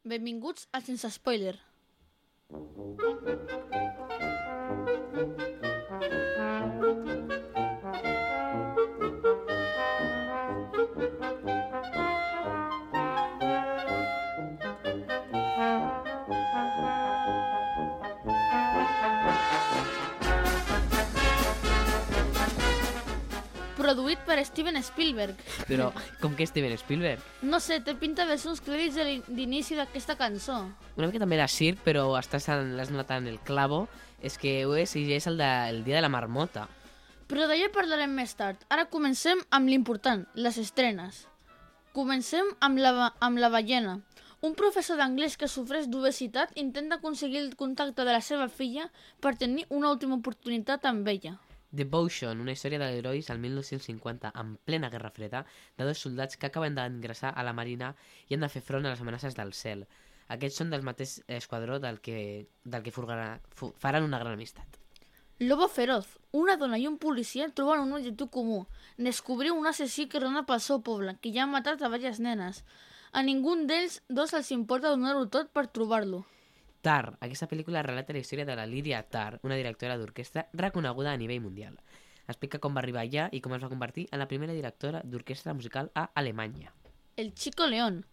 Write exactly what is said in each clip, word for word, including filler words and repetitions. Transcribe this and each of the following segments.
Benvinguts a Sense Spoiler. Produït per Steven Spielberg. Però, com que Steven Spielberg? No sé, té pinta de ser uns crèdits de l'in- d'inici d'aquesta cançó. Una mica també de circ, però estàs en, l'has notat en el clavo, és que ho és, i és el, de, el dia de la marmota. Però d'allò parlarem més tard. Ara comencem amb l'important, les estrenes. Comencem amb la, amb la ballena. Un professor d'anglès que sofreix d'obesitat intenta aconseguir el contacte de la seva filla per tenir una última oportunitat amb ella. Devotion, una història d'herois al mil nou-cents cinquanta, en plena Guerra Freda, de dos soldats que acaben d'ingressar a la Marina i han de fer front a les amenaces del cel. Aquests són del mateix esquadró del que, del que furgarà, fu, faran una gran amistat. Lobo feroz. Una dona i un policia troben un objectiu comú. Descobrir un assassí que rona pel seu poble, que ja ha matat a diverses nenes. A ningú d'ells dos els importa donar-ho tot per trobar-lo. Tar. Aquesta pel·lícula relata la història de la Lydia Tar, una directora d'orquestra reconeguda a nivell mundial. Explica com va arribar allà i com es va convertir en la primera directora d'orquestra musical a Alemanya. El Chico León.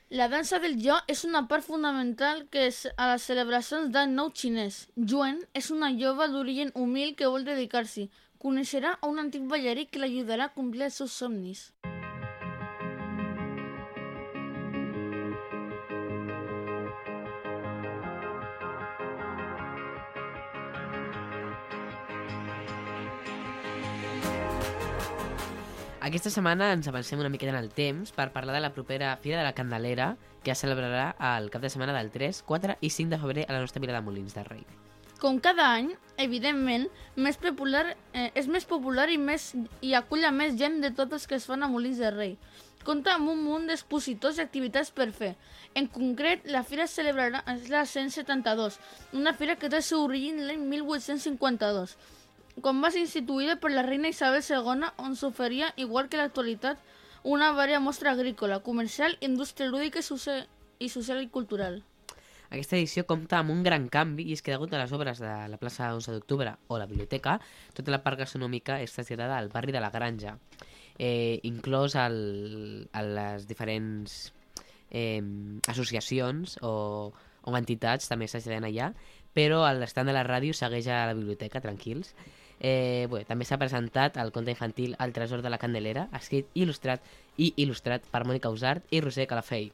La dansa del jo és una part fonamental que és a les celebracions d'any nou xinès. Yuen és una jove d'origen humil que vol dedicar-s'hi. Coneixerà a un antic ballarí que l'ajudarà a complir els seus somnis. Aquesta setmana ens avancem una miqueta en el temps per parlar de la propera Fira de la Candelera, que es celebrarà el cap de setmana del tres, quatre i cinc de febrer a la nostra vila de Molins de Rei. Com cada any, evidentment, més popular, eh, és més popular i, més, i acull a més gent de tots els que es fan a Molins de Rei. Compta amb un munt d'expositors i activitats per fer. En concret, la fira es celebrarà és la cent setanta-dos, una fira que té el seu origen l'any mil vuit-cents cinquanta-dos, quan va ser instituïda per la reina Isabel segona, on s'oferia, igual que l'actualitat, una vària mostra agrícola, comercial, indústria lúdica i social, i social i cultural. Aquesta edició compta amb un gran canvi i és que degut a les obres de la plaça onze d'octubre o la biblioteca, tota la part gastronòmica és traslladada al barri de la Granja, eh, inclòs el, a les diferents eh, associacions o, o entitats també s'ajuden allà, però l'estant de la ràdio segueix a la biblioteca, tranquils. Eh, bé, també s'ha presentat el conte infantil El tresor de la Candelera, escrit i il·lustrat i il·lustrat per Mònica Usart i Roser Calafell.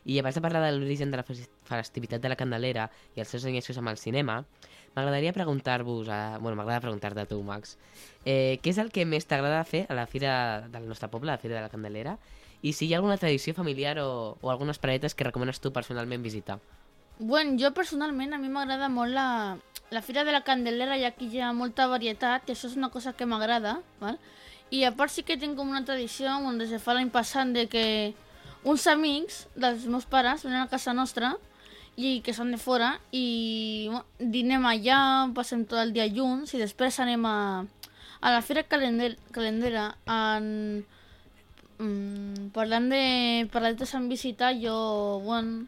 I abans de parlar de l'origen de la festivitat de la Candelera i els seus enllaços amb el cinema, m'agradaria preguntar-vos, a... bueno, m'agrada preguntar-te a tu, Max, eh, què és el que més t'agrada fer a la fira del nostre poble, a la Fira de la Candelera, i si hi ha alguna tradició familiar o, o algunes paretes que recomanes tu personalment visitar? Bueno, jo personalment a mi m'agrada molt la, la Fira de la Candelera, ja que hi ha molta varietat, i això és una cosa que m'agrada, val? I a part sí que tinc com una tradició on des de fa l'any passat de que uns amics dels meus pares venen a casa nostra i que són de fora i bueno, dinem allà, passem tot el dia junts i després anem a, a la Fira Calender, Calendera en, mm, parlant de paradetes en visitar, jo bueno,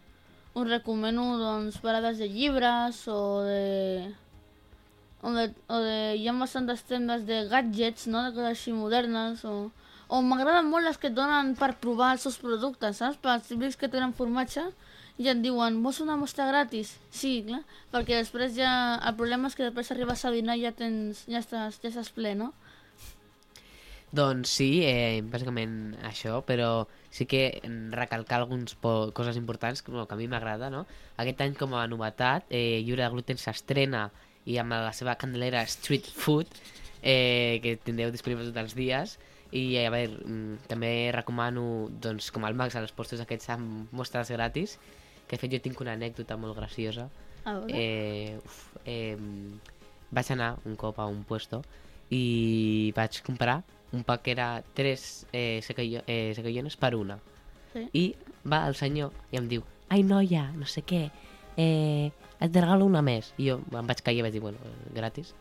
us recomano doncs, parades de llibres o de, o de, o de hi ha bastantes tendes de gadgets, no? De coses així modernes o, o m'agraden molt les que et donen per provar els seus productes, saps? Per als típics que tenen formatge i et diuen, vols una mostra gratis? Sí, clar, perquè després ja el problema és que després arribes a dinar i ja tens, ja estàs, ja estàs ple, no? Doncs sí, eh, bàsicament això, però sí que recalcar algunes coses importants que, no, que a mi m'agrada, no? Aquest any com a novetat, eh, Lliure de Gluten s'estrena i amb la seva candelera Street Food, eh, que tindreu disponible tots els dies, i a veure, també recomano, doncs, com el Max, als postos aquests amb mostres gratis, que de fet jo tinc una anècdota molt graciosa. A veure. Eh, uf, eh, vaig anar un cop a un puesto i vaig comprar un pack que era tres eh, sequillo, eh, sequillones per una. Sí. I va el senyor i em diu, ai noia, no sé què, eh, et regalo una més. I jo em vaig caure i vaig dir, bueno, gratis.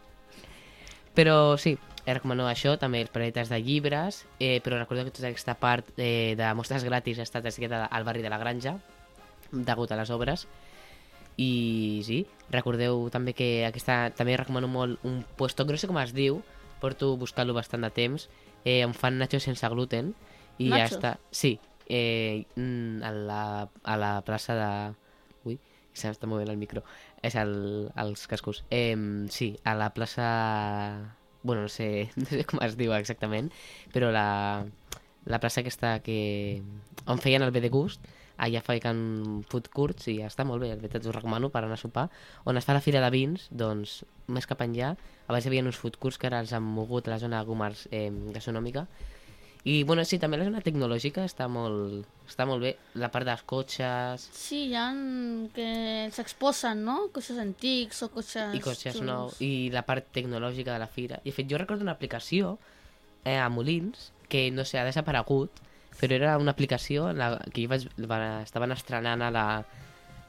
Però sí, recomano això, també els paretes de llibres, eh, però recordo que tota aquesta part eh, de mostres gratis ha estat traslladada al barri de la Granja, degut a les obres. I sí, recordeu també que aquesta, també recomano molt un puesto, no sé com es diu, porto buscant-lo bastant de temps, eh, on fan nachos sense gluten, i Nachos? ja està. Sí, eh, a, la, a la plaça de... Ui, s'està movent el micro. És el, els cascos. Eh, sí, a la plaça... Bueno, no sé, no sé com es diu exactament, però la, la plaça aquesta que... on feien el bé de gust, allà feien food courts i ja està molt bé, de veritat us recomano per anar a sopar. On es fa la fira de vins, doncs més cap enllà, abans hi havia uns food courts que ara els han mogut a la zona Gomars eh, gastronòmica. I bueno, sí, també la zona tecnològica està molt, està molt bé, la part dels cotxes... Sí, hi ha que s'exposen, no? Cotxes antics o cotxes... I cotxes xulos. nous, i la part tecnològica de la fira. I de fet, jo recordo una aplicació eh, a Molins, que no sé, ha desaparegut, però era una aplicació en la que jo vaig, va, estaven estrenant a la,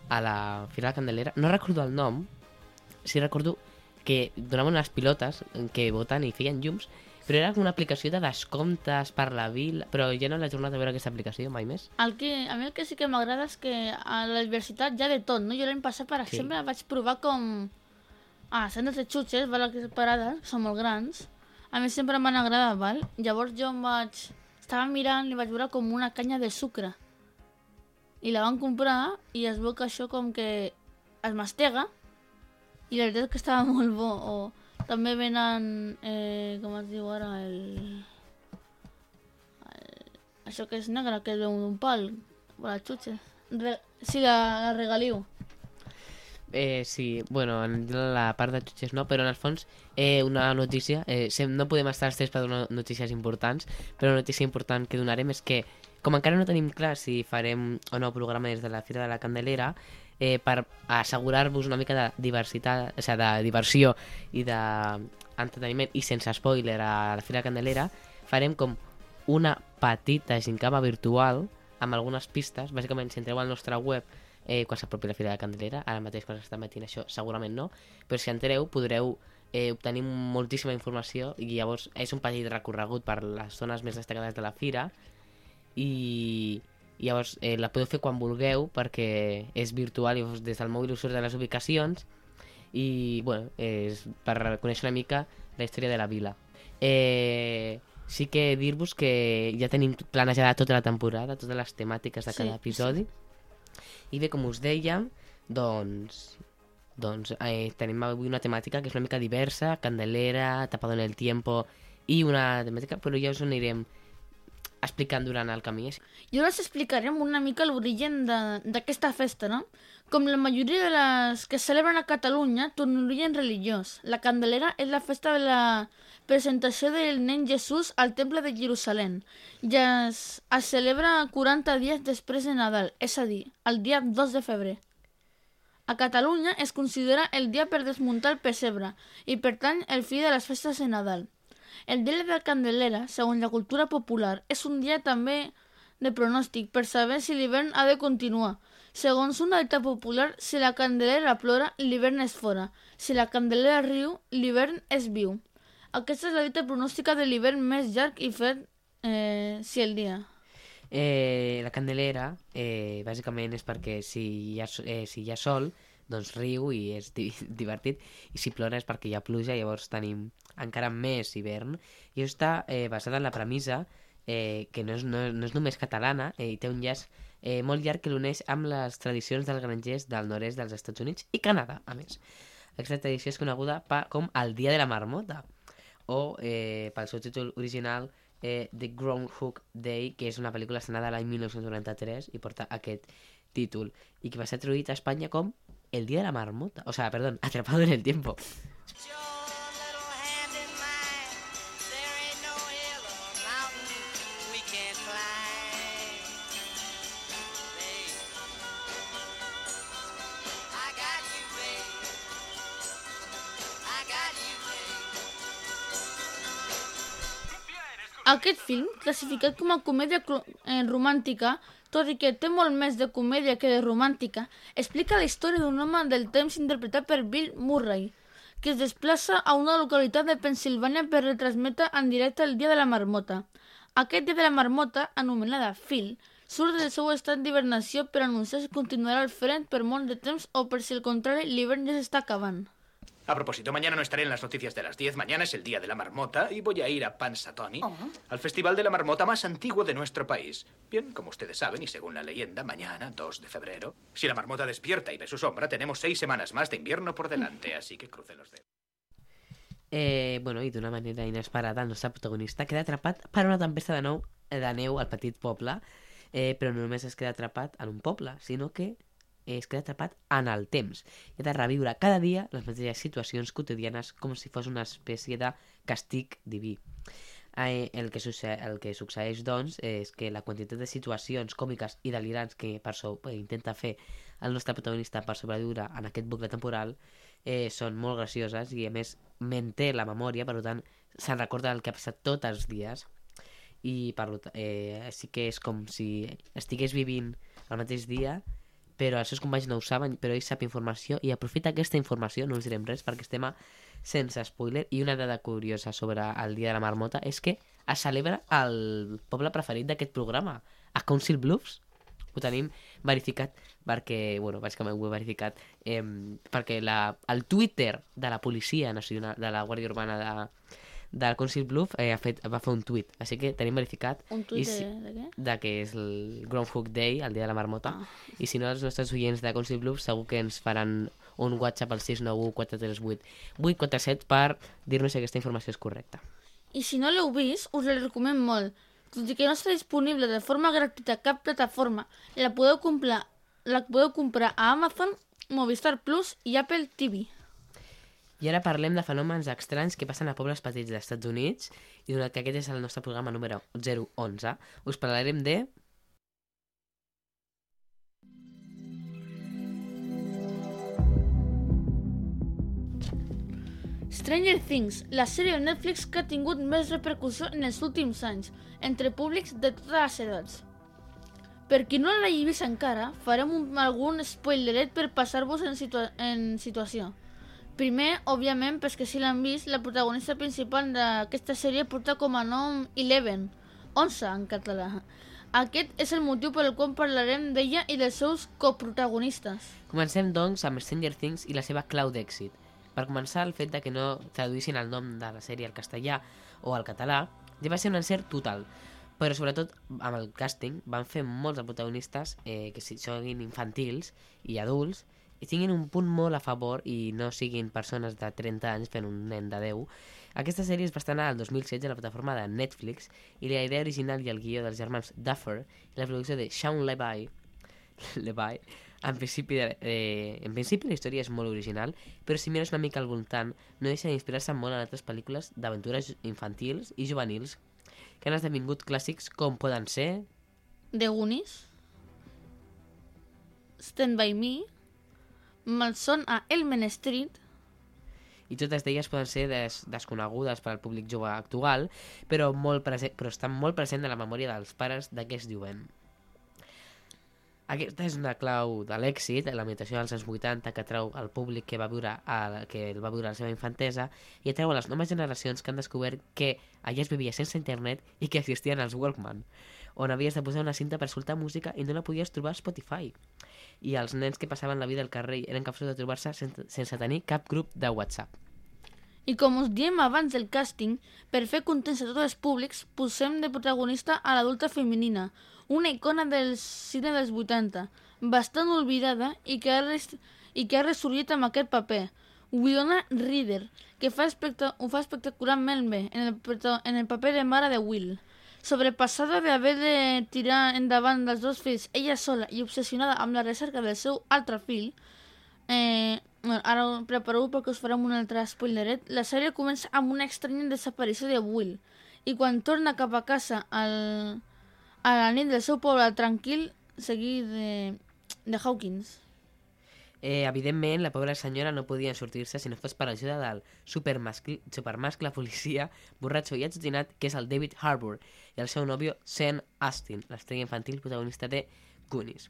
a la Fira de la Candelera. No recordo el nom, sí recordo que donaven unes pilotes que voten i feien llums, però era com una aplicació de descomptes per la vila, però ja no l'he tornat a veure aquesta aplicació mai més. El que, a mi el que sí que m'agrada és que a la universitat hi ha de tot, no? Jo l'any passat, per exemple, sí. vaig provar com... Ah, centres de xutxes, val, aquestes parades, són molt grans. A mi sempre m'han agradat, val? Llavors jo em vaig... Estava mirant i vaig veure com una canya de sucre. I la van comprar i es veu que això com que es mastega i la veritat és que estava molt bo. O també venen, eh, com es diu ara, el... el... això que és negre, que és d'un pal, per les xutxes. Re... Sí, la, la regaliu. Eh, sí, bueno, en la part de xutxes no, però en el fons eh, una notícia, eh, no podem estar els tres per donar notícies importants, però una notícia important que donarem és que, com encara no tenim clar si farem o no programa des de la Fira de la Candelera, eh, per assegurar-vos una mica de diversitat, o sigui, de diversió i d'entreteniment i sense spoiler a la Fira de la Candelera, farem com una petita gincama virtual amb algunes pistes. Bàsicament, si entreu al nostre web Eh, quan s'apropi la Fira de la Candelera, ara mateix quan s'està emetint això segurament no, però si entreu podreu eh, obtenir moltíssima informació i llavors és un petit recorregut per les zones més destacades de la Fira i, i llavors eh, la podeu fer quan vulgueu perquè és virtual i des del mòbil us surt de les ubicacions i bueno, és per conèixer una mica la història de la vila. Eh, sí que dir-vos que ja tenim planejada tota la temporada, totes les temàtiques de cada Sí, episodi. I bé, com us dèiem, doncs, doncs eh, tenim avui una temàtica que és una mica diversa, Candelera, Tapado en el Tiempo, i una temàtica, però ja us ho anirem explicant durant el camí. I ara us explicarem una mica l'origen de- d'aquesta festa, no? Com la majoria de les que es celebren a Catalunya, té un origen religiós. La Candelera és la festa de la presentació del nen Jesús al Temple de Jerusalem. Ja es, es celebra quaranta dies després de Nadal, és a dir, el dia dos de febrer. A Catalunya es considera el dia per desmuntar el pessebre i, per tant, el fi de les festes de Nadal. El dia de la Candelera, segons la cultura popular, és un dia també de pronòstic per saber si l'hivern ha de continuar. Segons una dita popular, si la Candelera plora, l'hivern és fora. Si la Candelera riu, l'hivern és viu. Aquesta és la dita pronòstica de l'hivern més llarg i fred eh, si el dia. Eh, la Candelera, eh, bàsicament, és perquè si hi ha, eh, si hi ha sol, doncs riu i és di divertit, i si plora és perquè hi ha pluja, llavors tenim encara més hivern. I això està eh, basat en la premissa eh, que no és, no, no és només catalana, eh, i té un llaç eh, molt llarg que l'uneix amb les tradicions dels grangers del nord-est dels Estats Units i Canadà, a més. Aquesta tradició és coneguda pa, com el Dia de la Marmota, o eh, pel seu títol original eh, The Groundhog Day, que és una pel·lícula estrenada l'any mil nou-cents noranta-tres i porta aquest títol, i que va ser traduït a Espanya com El Día de la Marmota, o sea, perdón, Atrapado en el Tiempo. Aquest film, classificat com a comèdia eh, romàntica, tot i que té molt més de comèdia que de romàntica, explica la història d'un home del temps interpretat per Bill Murray, que es desplaça a una localitat de Pennsilvània per retransmetre en directe el Dia de la Marmota. Aquest Dia de la Marmota, anomenada Phil, surt del seu estat d'hibernació per anunciar si continuarà al front per molt de temps o per si al contrari l'hivern ja s'està acabant. A propósito, mañana no estaré en las noticias de las diez. Mañana es el Día de la Marmota y voy a ir a Pansatoni, Oh. al festival de la marmota más antiguo de nuestro país. Bien, como ustedes saben, y según la leyenda, mañana, dos de febrero, si la marmota despierta y ve su sombra, tenemos seis semanas más de invierno por delante, así que cruce los dedos. Eh, bueno, i d'una manera inesperada, el nostre protagonista queda atrapat per una tempesta de, nou, de neu al petit poble, eh, però no només es queda atrapat en un poble, sinó que es queda atrapat en el temps i ha de reviure cada dia les mateixes situacions quotidianes com si fos una espècie de castig diví. Eh, el, que succeeix, el que succeeix, doncs, és que la quantitat de situacions còmiques i delirants que per so, eh, intenta fer el nostre protagonista per sobreviure en aquest bucle temporal eh, són molt gracioses i, a més, manté la memòria, per tant, se'n recorda el que ha passat tots els dies i, per tant, eh, sí que és com si estigués vivint el mateix dia, però els seus companys no ho saben, però ell sap informació i aprofita aquesta informació, no us direm res perquè estem a sense spoiler. I una dada curiosa sobre el Dia de la Marmota és que es celebra el poble preferit d'aquest programa, a Council Bluffs. Ho tenim verificat perquè, bueno, bàsicament ho he verificat eh, perquè la, el Twitter de la Policia Nacional, de la Guàrdia Urbana de, del Council Bluff eh, ha fet, va fer un tuit, així que tenim verificat Un tuit si, de, de què? de que és el Groundhog Day, el dia de la marmota, Ah. i si no els nostres oients de Council Bluff segur que ens faran un WhatsApp al sis nou u quatre tres vuit vuit quatre set per dir-nos si aquesta informació és correcta. I si no l'heu vist, us la recomano molt. Tot i que no està disponible de forma gratuïta a cap plataforma, la podeu comprar, la podeu comprar a Amazon, Movistar Plus i Apple T V. I ara parlem de fenòmens estranys que passen a pobles petits dels Estats Units i donat que aquest és el nostre programa número zero onze, us parlarem de... Stranger Things, la sèrie de Netflix que ha tingut més repercussió en els últims anys, entre públics de totes les edats. Per qui no l'hagi vist encara, farem un, algun spoileret per passar-vos en, situa en situació. Primer, òbviament, perquè si l'han vist, la protagonista principal d'aquesta sèrie porta com a nom Eleven, onze en català. Aquest és el motiu per el qual parlarem d'ella i dels seus coprotagonistes. Comencem, doncs, amb Stranger Things i la seva clau d'èxit. Per començar, el fet de que no traduïssin el nom de la sèrie al castellà o al català ja va ser un encert total, però sobretot amb el càsting van fer molts de protagonistes eh, que siguin infantils i adults i tinguin un punt molt a favor i no siguin persones de trenta anys fent un nen de deu. Aquesta sèrie es va estrenar el dos mil setze a la plataforma de Netflix i la idea original i el guió dels germans Duffer i la producció de Shawn Levy, Levy en principi, eh, en principi la història és molt original, però si mires una mica al voltant no deixa d'inspirar-se molt en altres pel·lícules d'aventures infantils i juvenils que han esdevingut clàssics com poden ser... The Goonies, Stand By Me, Malson a Elm Street, i totes d'elles poden ser des desconegudes per al públic jove actual, però, molt present, però estan molt present en la memòria dels pares de què es diuen. Aquesta és una clau de l'èxit, la imitació dels anys vuitanta que atrau al públic que va viure a, que el va viure a la seva infantesa i atrau a les noves generacions que han descobert que allà es vivia sense internet i que existien els Walkman, on havies de posar una cinta per escoltar música i no la podies trobar a Spotify. I els nens que passaven la vida al carrer eren capaços de trobar-se sense, sense tenir cap grup de WhatsApp. I com us diem abans del càsting, per fer contents a tots els públics, posem de protagonista a l'adulta femenina, una icona del cine dels vuitanta, bastant oblidada i que ha, res i que ha ressorgit amb aquest paper, Winona Ryder, que fa ho fa espectacularment bé en el, en el paper de mare de Will. Sobrepassada d'haver de tirar endavant dels dos fills ella sola i obsessionada amb la recerca del seu altre fill, eh, ara prepareu perquè us farem un altre spoileret, la sèrie comença amb una estranya desaparició de Will i quan torna cap a casa al, a la nit del seu poble tranquil seguit de, de Hawkins. Eh, evidentment, la pobra senyora no podia sortir-se si no fos per ajuda del supermascle, supermascle policia borratxo i atzutinat que és el David Harbour i el seu nòvio Sean Astin, l'estrella infantil protagonista de Goonies.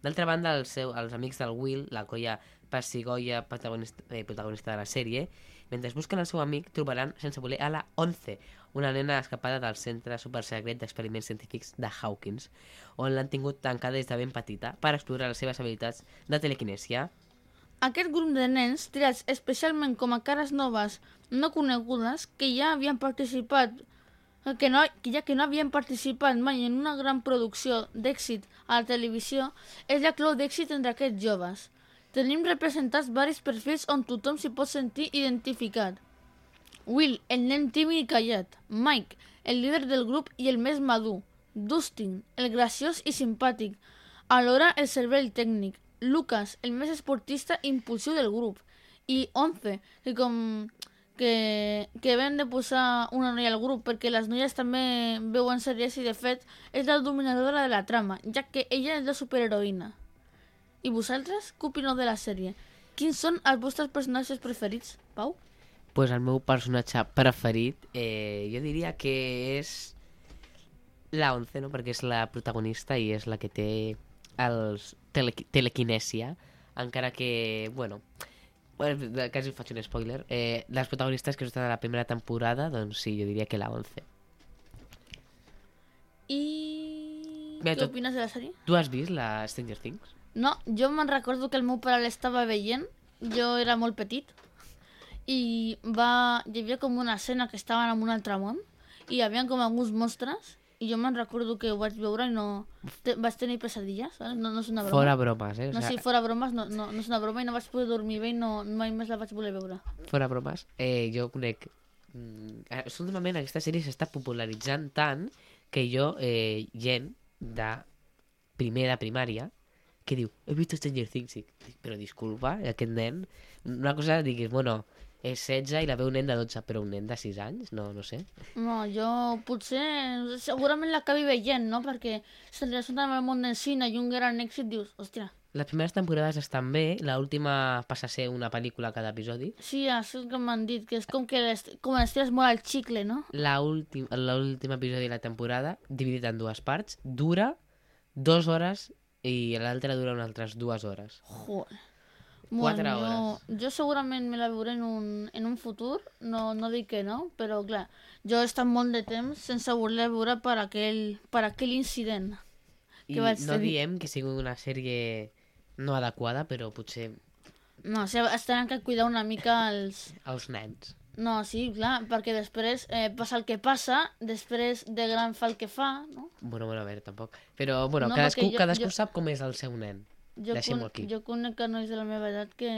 D'altra banda, el seu, els amics del Will, la colla passigoia protagonista, eh, protagonista de la sèrie, mentre busquen el seu amic, trobaran sense voler a la Onze, una nena escapada del Centre Supersecret d'Experiments Científics de Hawkins, on l'han tingut tancada des de ben petita per explorar les seves habilitats de telequinèsia. Aquest grup de nens, triats especialment com a cares noves no conegudes, que ja havien participat que, no, que ja que no havien participat mai en una gran producció d'èxit a la televisió, és la clau d'èxit entre aquests joves. Tenim representats varis perfils on tothom s'hi pot sentir identificat. Will, el nen tímid i callat. Mike, el líder del grup i el més madur. Dustin, el graciós i simpàtic. Alhora el cervell tècnic. Lucas, el més esportista i impulsiu del grup. I Onze, que com que, que vam de posar una noia al grup perquè les noies també veuen sèries i de fet és la dominadora de la trama, ja que ella és la superheroïna. I vosaltres, què opineu de la sèrie? Quins són els vostres personatges preferits, Pau? Pues el meu personatge preferit, eh, jo diria que és la Onze, no? Perquè és la protagonista i és la que té els tele telequinèsia, encara que, bueno, bueno, quasi faig un spoiler, eh, les protagonistes que estan a la primera temporada, doncs sí, jo diria que la Onze. I... Bé, què tot- opines de la sèrie? Tu has vist la Stranger Things? No, jo me'n recordo que el meu pare l'estava veient, jo era molt petit, i va... hi havia com una escena que estaven en un altre món, i hi havia com alguns monstres, i jo me'n recordo que ho vaig veure i no... Te... vaig tenir pesadilles, ¿vale? No, no és una broma. Fora bromes, eh? O No, sea, sí, fora bromes, no, no, no és una broma i no vaig poder dormir bé i no, mai més la vaig voler veure. Fora bromes, eh, jo conec... Mm, eh, últimament aquesta sèrie s'està popularitzant tant que jo, eh, gent de primer de primària, que diu, he vist Stranger Things, i dic, però disculpa, aquest nen... Una cosa, diguis, bueno, és setze i la veu un nen de dotze, però un nen de sis anys, no, no sé. No, jo potser... segurament l'acabi veient, no? Perquè se li surt amb el món del cine i un gran èxit, dius, hòstia... Les primeres temporades estan bé, l'última passa a ser una pel·lícula cada episodi. Sí, això és que m'han dit, que és com que les, com estires molt al xicle, no? L'últim l'últim episodi de la temporada, dividit en dues parts, dura dues hores i l'altre dura unes altres dues hores. Joder. Quatre jo, hores. jo segurament me la veuré en un, en un futur, no, no dic que no, però clar, jo he estat molt de temps sense voler veure per aquell, per aquell incident I que vaig no tenir. diem que sigui una sèrie no adequada, però potser No, o sigui, es tenen que cuidar una mica els... els nens. No, sí, clar, perquè després eh, passa el que passa, després de gran fa el que fa, no? Bueno, bueno, a veure, tampoc. Però, bueno, No, cadascú, perquè jo- cadascú jo- sap com és el seu nen. Jo, Deixem-ho con- aquí. jo conec nois de la meva edat que...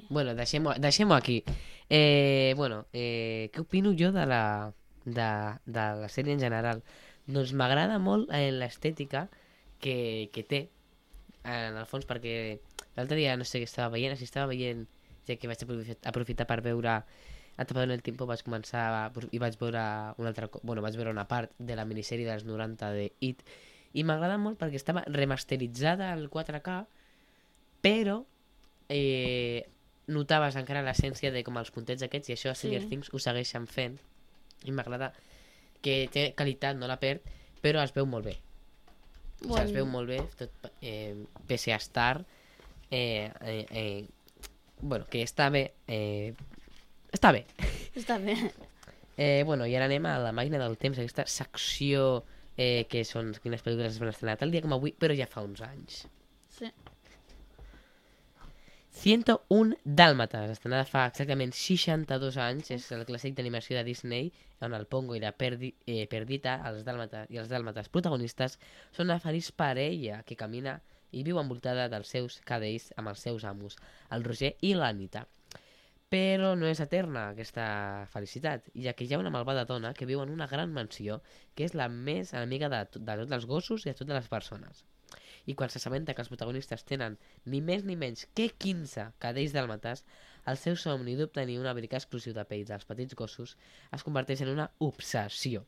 Bueno, deixem-ho deixem aquí. Eh, bueno, eh, què opino jo de la, de, de la sèrie en general? Doncs m'agrada molt eh, l'estètica que, que té, en el fons, perquè l'altre dia no sé què estava veient, si estava veient, ja que vaig aprofitar, aprofitar per veure Atrapado en el tiempo, vaig començar a, i vaig veure una altra, co- bueno, vaig veure una part de la minissèrie dels noranta de It, i m'agrada molt perquè estava remasteritzada al quatre K, però eh, notaves encara l'essència de com els puntets aquests, i això a Stranger Sí. Things ho segueixen fent, i m'agrada que té qualitat, no la perd, però es veu molt bé. O sigui, es veu molt bé, tot, eh, pese a estar eh, eh, eh, bueno, que està bé, eh, està bé. Està bé. Eh, bueno, i ara anem a la màquina del temps, aquesta secció eh, que són quines pel·lícules es van estrenar tal dia com avui, però ja fa uns anys. Sí. ciento un Dálmatas, estrenada fa exactament seixanta-dos anys, és el clàssic d'animació de Disney, on el Pongo i la Perdi, eh, Perdita els Dálmatas, i els Dálmatas protagonistes són una feliç parella que camina i viu envoltada dels seus cadells amb els seus amos, el Roger i l'Anita. Però no és eterna aquesta felicitat, ja que hi ha una malvada dona que viu en una gran mansió que és la més enemiga de, to- de tots els gossos i de totes les persones. I quan s'assabenta que els protagonistes tenen ni més ni menys que quinze cadells dàlmates, el seu somni d'obtenir un abric exclusiu de pell dels petits gossos es converteix en una obsessió.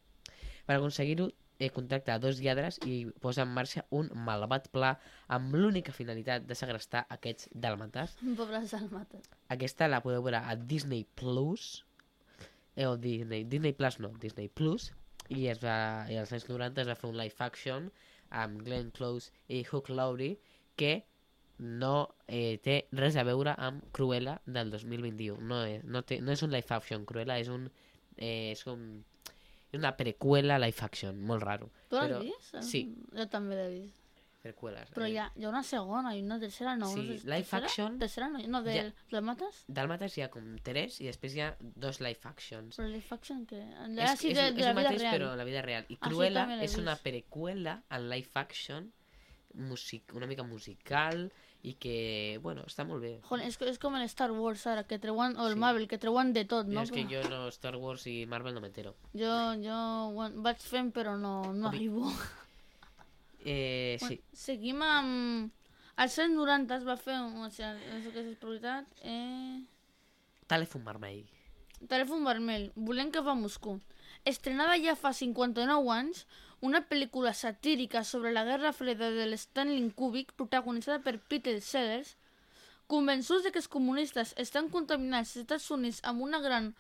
Per aconseguir-ho, eh, contracta a dos lladres i posa en marxa un malvat pla amb l'única finalitat de segrestar aquests dàlmates. Pobres almates. Aquesta la podeu veure a Disney Plus, eh, o Disney, Disney Plus no, Disney Plus, i, es va, i als anys noranta es va fer un live action amb Glenn Close i Hugh Laurie que no eh, té res a veure amb Cruella del dos mil vint-i-u. No és, no té, no és un live action, Cruella és un... Eh, és un És una prequela live action, molt raro. Tu l'has Però- vist? Sí, Jo també l'he vist. prequeles. Però eh. hi ha, hi ha una segona i una tercera, no. Sí, una ter- live tercera? action- Tercera no, no de Ja. Dálmatas? Dàlmates hi ha com tres i després hi ha dos live actions. Però live action que... És, Ah, sí, és, de, és de la el vida mateix real. però en la vida real. I Ah, sí, Cruella també l'he és una vist. prequela en live action, music, una mica musical i que, bueno, està molt bé. Joder, és, és com el Star Wars ara, que treuen, o el Sí. Marvel, que treuen de tot, Jo no? és que Però jo no Star Wars i Marvel no m'entero. jo, jo bueno, vaig fent, però no, no Com i- arribo. Eh, sí, Seguim amb... Als anys noranta es va fer, o sigui, això que és prioritat, eh... Telèfon vermell. Telèfon vermell, volem que va a Moscou. Estrenada ja fa cinquanta-nou anys, una pel·lícula satírica sobre la Guerra Freda de l'Stanley Kubrick, protagonitzada per Peter Sellers, convençuts de que els comunistes estan contaminant els Estats Units amb una gran...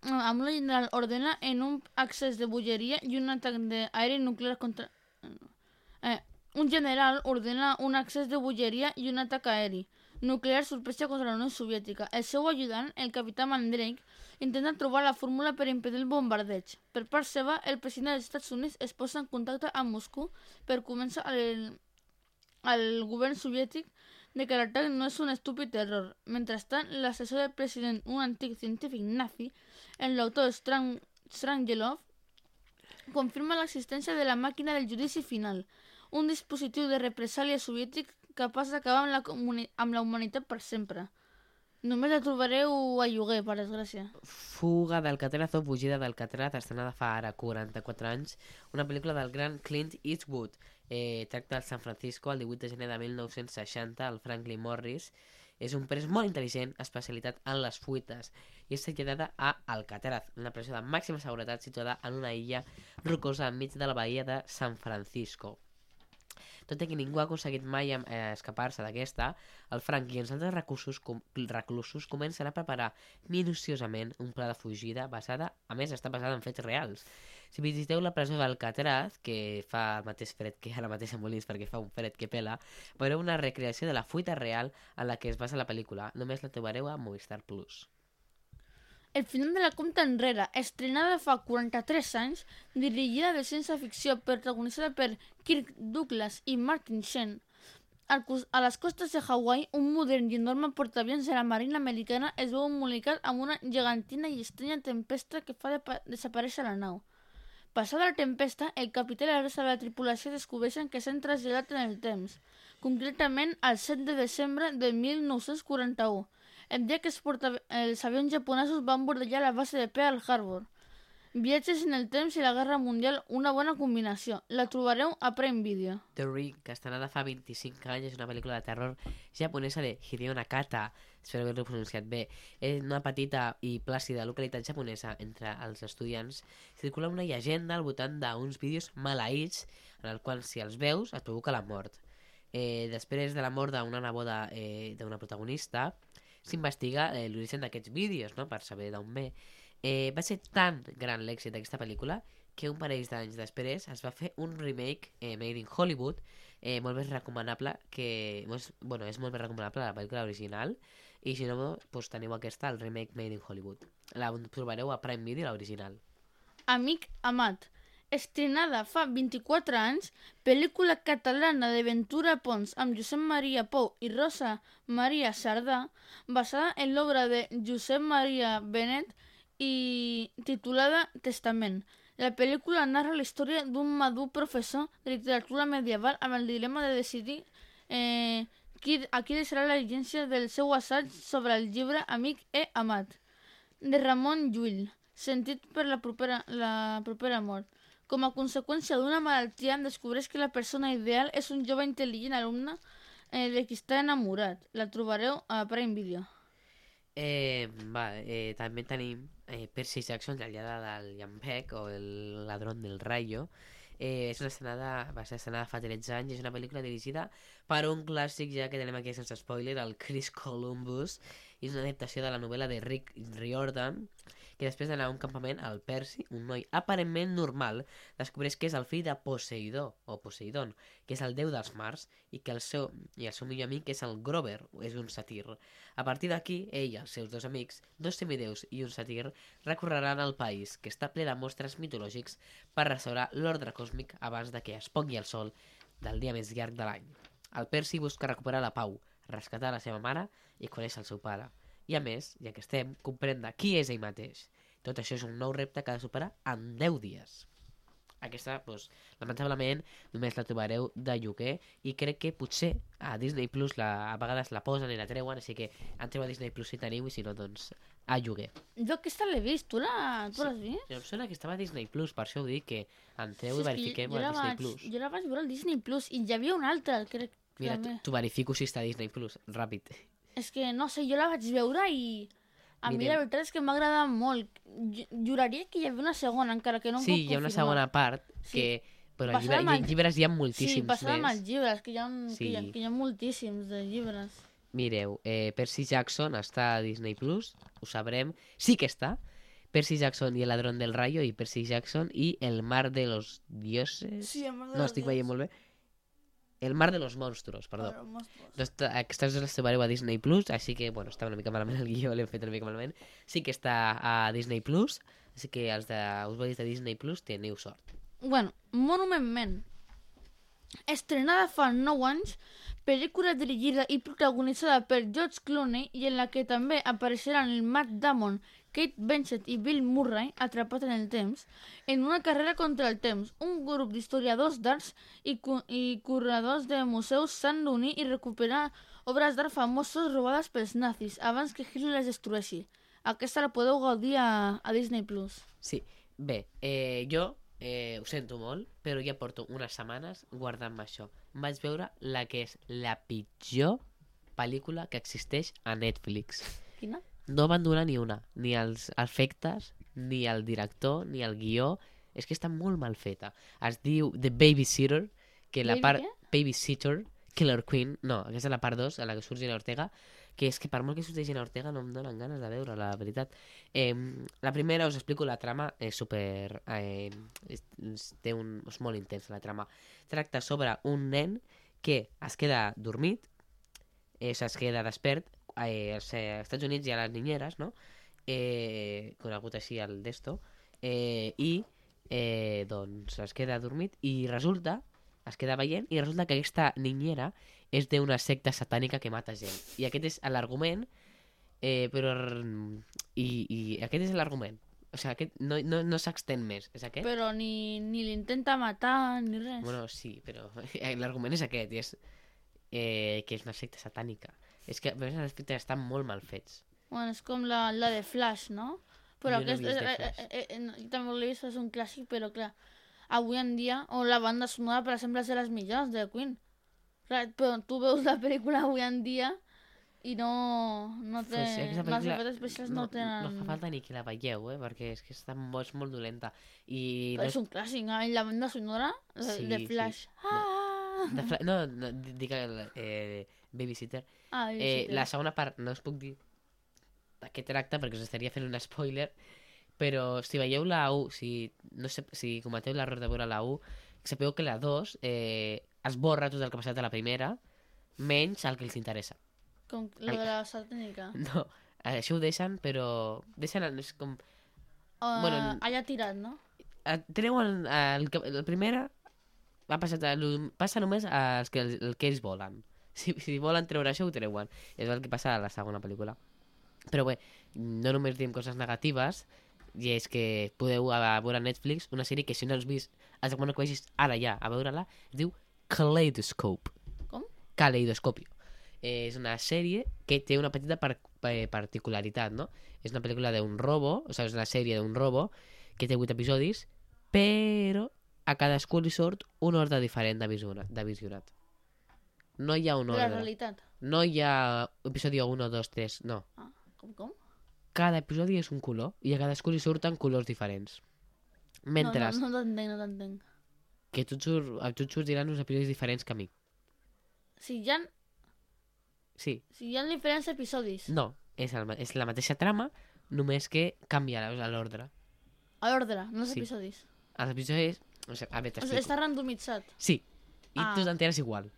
amb una general ordena en un accés de bogeria i un atac d'aeri nuclear contra... Eh, un general ordena un accés de bogeria i un atac aeri nuclear sorpresa contra la Unió Soviètica. El seu ajudant, el capità Mandrake, intenta trobar la fórmula per impedir el bombardeig. Per part seva, el president dels Estats Units es posa en contacte amb Moscou per convèncer el, el govern soviètic de que l'atac no és un estúpid error. Mentrestant, l'assessor del president, un antic científic nazi, el doctor Strang Strangelov, confirma l'existència de la màquina del judici final, un dispositiu de represàlia soviètic capaç d'acabar amb, la comuni- amb la humanitat per sempre. Només la trobareu a lloguer, per desgràcia. Fuga d'Alcatraz o Fugida d'Alcatraz, estrenada fa ara quaranta-quatre anys, una pel·lícula del gran Clint Eastwood. Eh, tracta de San Francisco el divuit de gener de mil nou-cents seixanta, el Franklin Morris és un pres molt intel·ligent, especialitat en les fuites, i és traslladada a Alcatraz, una presó de màxima seguretat situada en una illa rocosa enmig de la bahia de San Francisco. Tot i que ningú ha aconseguit mai eh, escapar-se d'aquesta, el Frank i els altres reclusos, com, reclusos comencen a preparar minuciosament un pla de fugida basada, a més està basada en fets reals. Si visiteu la presó d'Alcatraz, que fa el mateix fred que ara mateix a Molins perquè fa un fred que pela, veureu una recreació de la fuita real en la que es basa la pel·lícula. Només la trobareu a Movistar Plus. El final de la compta enrere, estrenada fa quaranta-tres anys, dirigida de ciència-ficció, protagonitzada per Kirk Douglas i Martin Sheen. Al cos- A les costes de Hawaii, un modern i enorme portaavions de la Marina Americana es veu embolicat amb una gegantina i estranya tempesta que fa de desaparèixer la nau. Passada la tempesta, el capità i la resta de la tripulació descobreixen que s'han traslladat en el temps, concretament el set de desembre de mil nou-cents quaranta-u, el dia que els, porta... els avions japonesos van bordellar la base de Pearl Harbor. Viatges en el temps i la Guerra Mundial, una bona combinació. La trobareu a Prime Video. The Ring, que estrenada fa vint-i-cinc anys, és una pel·lícula de terror japonesa de Hideo Nakata, espero haver-ho pronunciat bé. És una petita i plàcida localitat japonesa entre els estudiants. Circula una llegenda al voltant d'uns vídeos maleïts en el qual, si els veus, et provoca la mort. Eh, després de la mort d'una neboda eh, d'una protagonista, s'investiga eh, l'origen d'aquests vídeos, no?, per saber d'on ve. Eh, va ser tan gran l'èxit d'aquesta pel·lícula que un parell d'anys després es va fer un remake eh, made in Hollywood, eh, molt més recomanable que... Molt, bueno, és molt més recomanable la pel·lícula original, i si no, doncs teniu aquesta, el remake made in Hollywood. La trobareu a Prime Video, l'original. Amic amat. Estrenada fa vint-i-quatre anys, pel·lícula catalana de Ventura Pons amb Josep Maria Pou i Rosa Maria Sardà, basada en l'obra de Josep Maria Benet i titulada Testament. La pel·lícula narra la història d'un madur professor de literatura medieval amb el dilema de decidir eh, qui, a qui deixarà la llegència del seu assaig sobre el llibre Amic e Amat, de Ramon Llull, sentit per la propera, la propera mort. Com a conseqüència d'una malaltia, descobreix que la persona ideal és un jove intel·ligent alumne eh, de qui està enamorat. La trobareu a Prime Video. Eh, va, eh, també tenim eh, Percy Jackson, la lladra del llampec, o el ladrón del rayo. Eh, és una estrenada, va ser estrenada fa tretze anys, és una pel·lícula dirigida per un clàssic, ja que tenim aquí sense spoiler, el Chris Columbus, i és una adaptació de la novel·la de Rick Riordan, que després d'anar a un campament, el Percy, un noi aparentment normal, descobreix que és el fill de Poseidó, o Poseidon, que és el déu dels mars, i que el seu, i el seu millor amic és el Grover, és un satir. A partir d'aquí, ell i els seus dos amics, dos semideus i un satir, recorreran el país, que està ple de mostres mitològics, per restaurar l'ordre còsmic abans de que es pongui el sol del dia més llarg de l'any. El Percy busca recuperar la pau, rescatar la seva mare i conèixer el seu pare. I a més, ja que estem, comprendre qui és ell mateix. Tot això és un nou repte que ha de superar en deu dies. Aquesta, doncs, lamentablement, només la trobareu de lloguer i crec que potser a Disney Plus la, a vegades la posen i la treuen, així que entreu a Disney Plus si teniu i si no, doncs, a lloguer. Jo aquesta l'he vist, tu l'has Sí. vist? Em sona que estava a Disney Plus, per això ho dic, que entreu Sí, i és que verifiquem jo a la Disney vaig- Plus. Jo la vaig veure al Disney Plus i hi havia una altra, crec. Mira, també. t'ho verifico si està a Disney Plus, ràpid. És que, no sé, jo la vaig veure i... A mi Mirem. la veritat és que m'ha agradat molt. Jo- Juraria que hi havia una segona, encara que no em Sí, puc hi ha una confirmar. segona part Sí. que... Però Passada llibre, amb el- llibres hi ha Sí, moltíssims passada amb més. els llibres, que hi ha, que hi ha, Sí. que hi ha moltíssims de llibres. Mireu, eh, Percy Jackson està a Disney Plus, ho sabrem. Sí que està. Percy Jackson i el ladrón del rayo i Percy Jackson i el mar de los dioses. Sí, el mar de no, los estic dioses. veient molt bé. El mar de los monstruos, perdó. Doncs t- aquestes les trobareu a Disney Plus, així que, bueno, està una mica malament el guió, l'hem fet una mica malament. Sí que està a Disney Plus, així que els de usuaris de Disney Plus teniu sort. Bueno, Monument Men. Estrenada fa nou anys, pel·lícula dirigida i protagonitzada per George Clooney i en la que també apareixeran el Matt Damon, Kate Blanchett i Bill Murray, atrapat en el temps, en una carrera contra el temps, un grup d'historiadors d'arts i, cu i curadors de museus s'han d'unir i recuperar obres d'art famoses robades pels nazis abans que Hitler les destrueixi. Aquesta la podeu gaudir a, a Disney Plus. Sí, bé, eh, jo eh, ho sento molt, però ja porto unes setmanes guardant-me això. Em vaig veure la que és la pitjor pel·lícula que existeix a Netflix. Quina? No van donar ni una, ni els efectes, ni el director, ni el guió. És que està molt mal feta. Es diu The Babysitter, que la Baby part... què? Babysitter, Killer Queen, no, aquesta és la part dos, a la que surt Gina Ortega, que és que per molt que surti Gina Ortega no em donen ganes de veure, la veritat. Eh, la primera, us explico la trama, és super... Eh, és, és, té un, és molt intensa la trama. Tracta sobre un nen que es queda dormit, eh, es queda despert, eh, als eh, Estats Units hi ha les ninyeres, no? Eh, conegut així el d'esto, eh, i eh, doncs es queda dormit i resulta, es queda veient i resulta que aquesta niñera és d'una secta satànica que mata gent. I aquest és l'argument, eh, però... I, I aquest és l'argument. O sigui, aquest no, no, no s'extén més. És aquest? Però ni, ni l'intenta matar ni res. Bueno, sí, però l'argument és aquest, i és eh, que és una secta satànica. És que a més els efectes estan molt mal fets. Bueno, és com la, la de Flash, no? Però Jo no he aquest, vist de eh, Flash. eh, eh, eh, jo també l'he vist, és un clàssic, però clar, avui en dia, o la banda sonora, per exemple, és de les millors de Queen. Clar, però tu veus la pel·lícula avui en dia i no, no té... Pues, aquesta les pel·lícula efectes especials no, no, tenen... no fa falta ni que la veieu, eh? Perquè és que està molt, és molt dolenta. I Però no és un clàssic, eh? I la banda sonora de, Sí, de sí. Flash. Ah! de Fla... No, no, dic el eh, Babysitter. Ah, Eh, sí, sí. la segona part no us puc dir de què tracta perquè us estaria fent un spoiler, però si veieu la u, si, no sé, si cometeu l'error de veure la u, sapeu que la dos eh, esborra tot el que ha passat a la primera, menys el que els interessa. Com la de la satànica. No, això ho deixen, però deixen, el- és com... Uh, Bueno, allà tirat, no? eh, treuen el, que- la primera va passar, el- passa només als que, el que ells volen. Si, si volen treure això, ho treuen. És el que passa a la segona pel·lícula. Però bé, no només diem coses negatives, i és que podeu a veure a Netflix una sèrie que si no has vist, has de que vagis ara ja a veure-la, es diu Kaleidoscope. Com? Caleidoscopio. Eh, és una sèrie que té una petita par eh, particularitat, no? És una pel·lícula d'un robo, o sigui, és una sèrie d'un robo que té vuit episodis, però a cadascú li surt un ordre diferent de, visiona, de visionat. No hi ha un De la ordre. realitat. No hi ha episodi un, dos, tres, no. Ah, com, com? Cada episodi és un color i a cadascú li surten colors diferents. Mentre No, no, no t'entenc, no t'entenc. que tu et, surt, a tu et sortiran uns episodis diferents que a mi. Si hi ha, Sí, si hi ha diferents episodis. no, és, el, ma- és la mateixa trama, només que canvia l'ordre. A l'ordre, no els Sí. episodis. Els episodis... O sigui, a veure, O sigui, t'explico. està randomitzat. Sí, i Ah. tu t'enteres igual.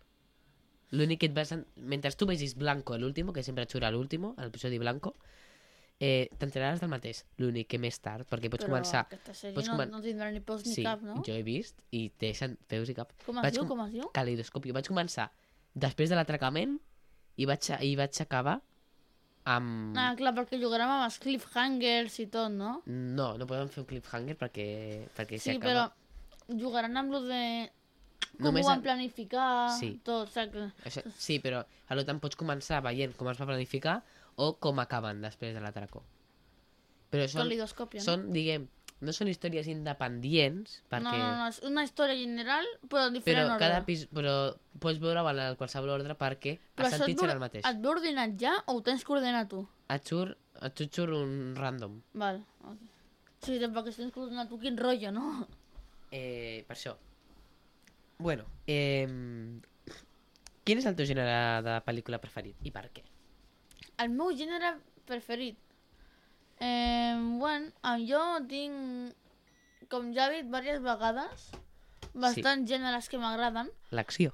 L'únic que et vas... En... Mentre tu vegis Blanco a l'último, que sempre et surt a l'último, a l'episodi Blanco, eh, t'enteraràs del mateix. L'únic que més tard, perquè pots Però començar... aquesta sèrie pots no, comen- no tindrà ni peus ni Sí, cap, no? jo he vist i te deixen peus i cap. Com es Vaig diu, com- com es diu? Calidoscopi. Vaig començar després de l'atracament i vaig, a- i vaig acabar amb... Ah, clar, perquè jugarem amb els cliffhangers i tot, no? No, no podem fer un cliffhanger perquè, perquè Sí, s'acaba. però jugaran amb lo de... Com Només ho van a- planificar, Sí. tot, saps? Això, sí, però a lo tant pots començar veient com es va planificar o com acaben després de l'atracó. Però són, Calidoscòpia, no? són, diguem, no són històries independents, perquè... No, no, no, és una història general, però en Però diferent ordre. cada pis... però pots veure en qualsevol ordre perquè Però els això et sentits ve- seran el mateix. Et ve ordenat ja o ho tens que ordenar tu? Et surt, et surt un random. Val, ok. Sí, perquè si tens que ordenar tu, quin rotllo, no? Eh, per això. Bueno, eh, quin és el teu gènere de pel·lícula preferit i per què? El meu gènere preferit. Eh, bueno, eh, jo tinc, com ja he dit diverses vegades, bastants sí. gèneres que m'agraden, L'acció.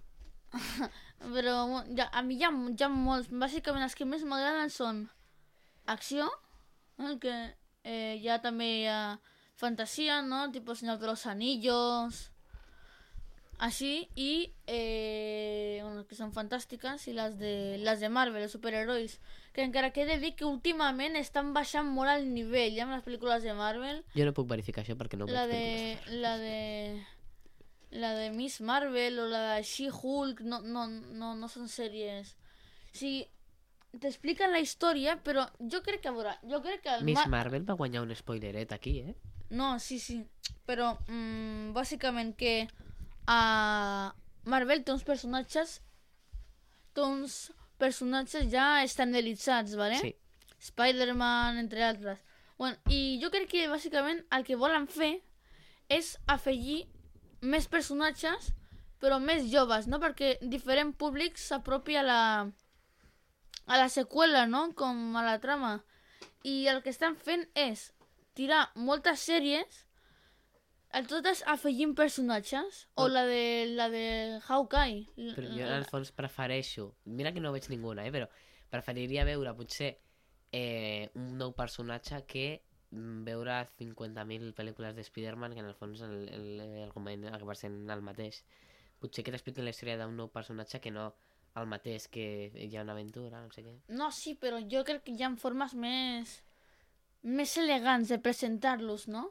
però bueno, ja, a mi hi ha, hi ha molts. Bàsicament els que més m'agraden són acció, eh, que eh, hi ha també hi ha fantasia, no? Tipo Señor de los Anillos, així, i eh, bueno, que són fantàstiques, i les de, les de Marvel, els superherois, que encara que he de dir que últimament estan baixant molt el nivell, ja, amb les pel·lícules de Marvel. Jo no puc verificar això perquè no La veig de, pel·lícules. la de, la de Miss Marvel o la de She-Hulk no, no, no, no són sèries. O sigui, t'expliquen la història, però jo crec que, a veure, jo crec que... El Miss Mar- Marvel va guanyar un spoileret aquí, eh? No, sí, sí, però mm, bàsicament que a Marvel té uns personatges té uns personatges ja estandarditzats, ¿vale? Sí. Spider-Man, entre altres. Bueno, i jo crec que bàsicament el que volen fer és afegir més personatges, però més joves, no? Perquè diferent públic s'apropi a la a la seqüela, no? Com a la trama. I el que estan fent és tirar moltes sèries, el totes afegint personatges, o la de la de Hawkeye. Però jo en el fons prefereixo... Mira que no veig ninguna, eh? Però preferiria veure potser eh, un nou personatge que mm, veure cinquanta mil pel·lícules de Spider-Man, que en el fons el- el- l'argument acaba sent el mateix. Potser que t'expliquin la història d'un nou personatge que no el mateix, que hi ha una aventura, no sé què. No, sí, però jo crec que hi ha formes més més elegants de presentar-los, no?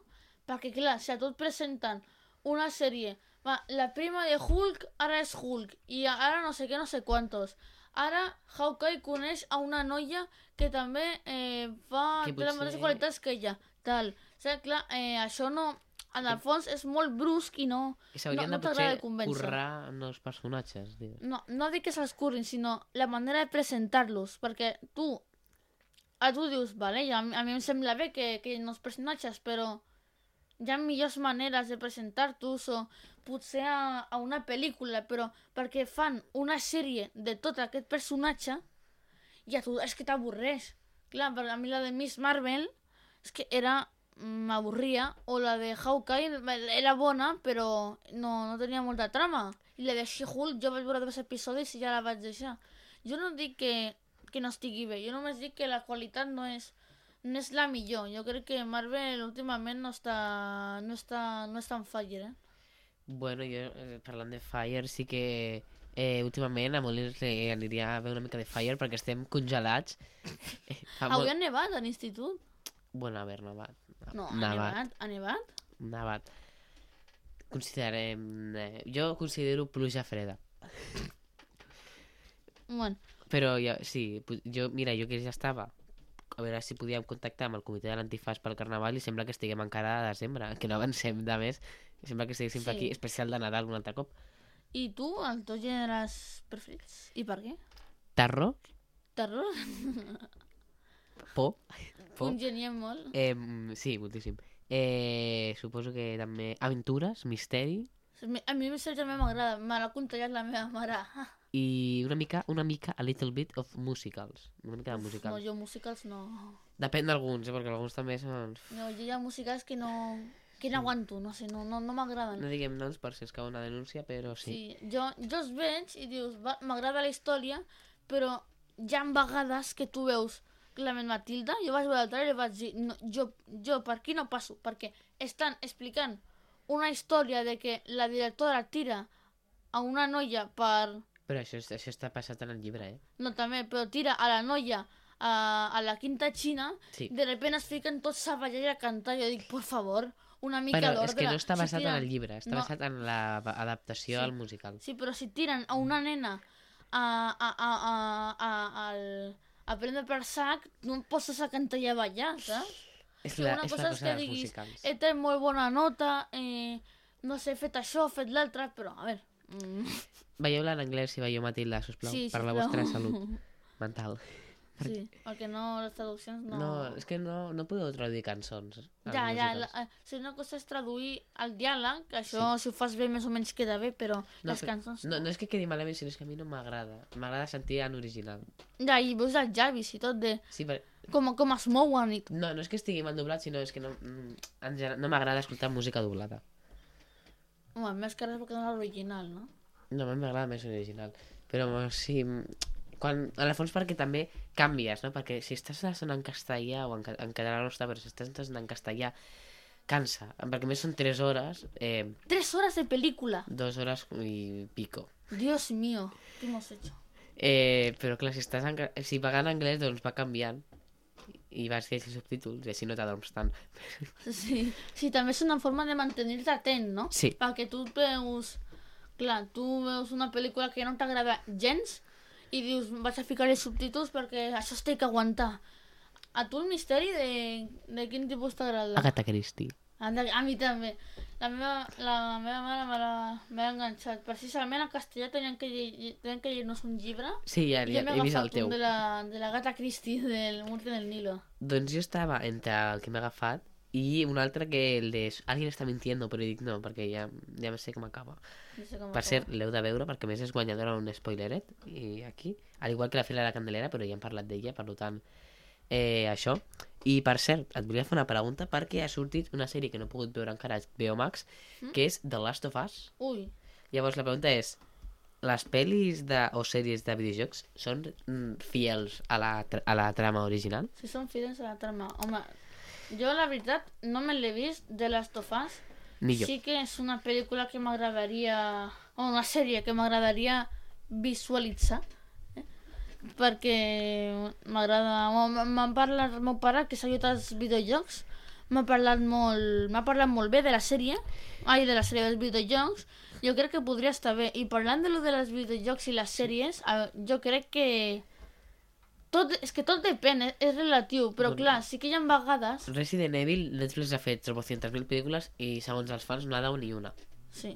Perquè, clar, si a tu et presenten una sèrie, va, la prima de Hulk ara és Hulk, i ara no sé què, no sé quantos. Ara Hawkeye coneix a una noia que també eh, fa Que té les potser- mateixes qualitats que ella, tal. O sigui, clar, eh, això no... En el fons és molt brusc i no... I s'haurien no, no de t'agrada potser convèncer. currar nous personatges, dius. No, no dic que se'ls currin, sinó la manera de presentar-los, perquè tu, a tu dius, vale, ja, a mi- a mi em sembla bé que, que hi ha nous personatges, però hi ha millors maneres de presentar-los, o potser a, a una pel·lícula, però perquè fan una sèrie de tot aquest personatge, i a tu és que t'avorreix. Clar, per a mi la de Miss Marvel és que era... m'avorria, o la de Hawkeye era bona, però no, no tenia molta trama. I la de She-Hulk jo vaig veure dos episodis i ja la vaig deixar. Jo no dic que, que no estigui bé, jo només dic que la qualitat no és, no és la millor. Jo crec que Marvel últimament no està, no està, no està en fire, eh? Bueno, jo, eh, parlant de Fire, sí que eh, últimament a Molins li aniria a veure una mica de Fire perquè estem congelats. Eh, fa Avui molt- ha nevat a l'institut? Bueno, a veure, nevat. No, ha nevat. nevat. Ha nevat? Nevat. Considerem... Eh, jo considero pluja freda. Bueno, Però jo, sí, pu- jo, mira, jo que ja estava a veure si podíem contactar amb el comitè de l'antifàs pel Carnaval i sembla que estiguem encara a desembre, que no avancem de més. Sembla que estiguéssim Sí. aquí, especial de Nadal un altre cop. i tu, els teus gèneres preferits? I per què? Terror, Terror? por, por. Congeniem molt. Eh, sí, moltíssim. Eh, suposo que també aventures, misteri. A mi el Mister també m'agrada, me l'ha contallat la meva mare. i una mica, una mica, a little bit of musicals. Una mica de No, musicals. jo musicals no. Depèn d'alguns, eh, perquè alguns també són... No, jo hi ha musicals que no... que no aguanto, no sé, no, no, no m'agraden. No diguem noms per si es cau una denúncia, però sí. Sí, jo, jo els veig i dius, va, m'agrada la història, però hi ha vegades que tu veus clarament Matilda, jo vaig veure el trailer i vaig dir, no, jo, jo per aquí no passo, perquè estan explicant una història de que la directora tira a una noia per... Però això, això està passat en el llibre, eh? No, també, però tira a la noia a, a la quinta xina, Sí. de repente es fiquen tots a ballar i a cantar, jo dic, por favor, una mica Però d'ordre. és que no està Si basat en tiren- el llibre, està no, basat en l'adaptació Sí. al musical. Sí, però si tiren a una nena a, a, a, a, a, al, a prendre per sac, no em poses a cantar i a ballar, saps? És Sí, la, una és la cosa és cosa que dels diguis, musicals. he tret molt bona nota, eh, no sé, he fet això, he fet l'altre, però, a veure... Mm, Veieu-la en anglès si veieu Matilda, sisplau, sí, per la sisplau. vostra salut mental. Sí, perquè no, les traduccions no... No, és que no, no podeu traduir cançons. als Ja, ja, musicals. la, eh, si una cosa és traduir el diàleg, que això si ho fas bé més o menys queda bé, però No, les però- cançons... No, no és que quedi malament, sinó és que a mi no m'agrada. M'agrada sentir en original. Ja, i veus els llavis i tot de Sí, per... com, com es mouen i... No, no és que estigui mal doblat, sinó és que no, mm, en general, no m'agrada escoltar música doblada. Home, més que res perquè no és l'original, no? No, a mi m'agrada més l'original. Però sí, mm, quan, en el fons perquè també canvies, no? Perquè si estàs sonant en castellà o en, ca- en català no està, però si estàs sonant en castellà cansa. Perquè a més són tres hores, eh, Tres horas de película. dos hores i pico. Dios mío, ¿qué hemos hecho? Eh, però clar, si, estàs en, ca- si va en anglès, doncs va canviant i vas llegir subtítols i així no t'adorms tant. Sí, sí, també és una forma de mantenir-te atent, no? Sí. Perquè tu veus... Clar, tu veus una pel·lícula que no t'agrada gens i dius, vaig a ficar els subtítols perquè això es té que aguantar. A tu el misteri de, de quin tipus t'agrada? Agatha Christie. A, a mi també. La meva, la meva mare me l'ha- m'ha enganxat. Precisament en castellà tenien que, llegir, tenien que llegir-nos un llibre Sí, ja, i ja jo m'he he vist el agafat teu. un de la, de la Gata Christie del Murti del Nilo. Doncs jo estava entre el que m'he agafat i un altre que el de Alguien està mintiendo, però dic no, perquè ja, ja sé com acaba. No sé com Per acaba. cert, l'heu de veure, perquè a més és guanyadora un spoileret, i aquí, al igual que la fila de la Candelera, però ja hem parlat d'ella, per tant, eh, això. I per cert, et volia fer una pregunta, perquè ha sortit una sèrie que no he pogut veure encara a H B O Max, que és The Last of Us. Ui, Llavors la pregunta és, les pel·lis de, o sèries de videojocs són mm, fiels a la, tra- a la trama original? si són fidels a la trama. Home, jo la veritat no me l'he vist de Last of Us. Ni jo. Sí que és una pel·lícula que m'agradaria... O una sèrie que m'agradaria visualitzar. Eh? Perquè m'agrada... m- M'ha parlat el meu pare, que s'ha ajudat als videojocs. M'ha parlat molt... M'ha parlat molt bé de la sèrie. Ai, de la sèrie dels videojocs. Jo crec que podria estar bé. I parlant de lo de les videojocs i les sèries, a- jo crec que... Tot, és que tot depèn, és, és relatiu, però Bueno. clar, sí que hi ha vegades... Resident Evil, Netflix ha fet trescientas mil pel·lícules i segons els fans no ha dado ni una. Sí.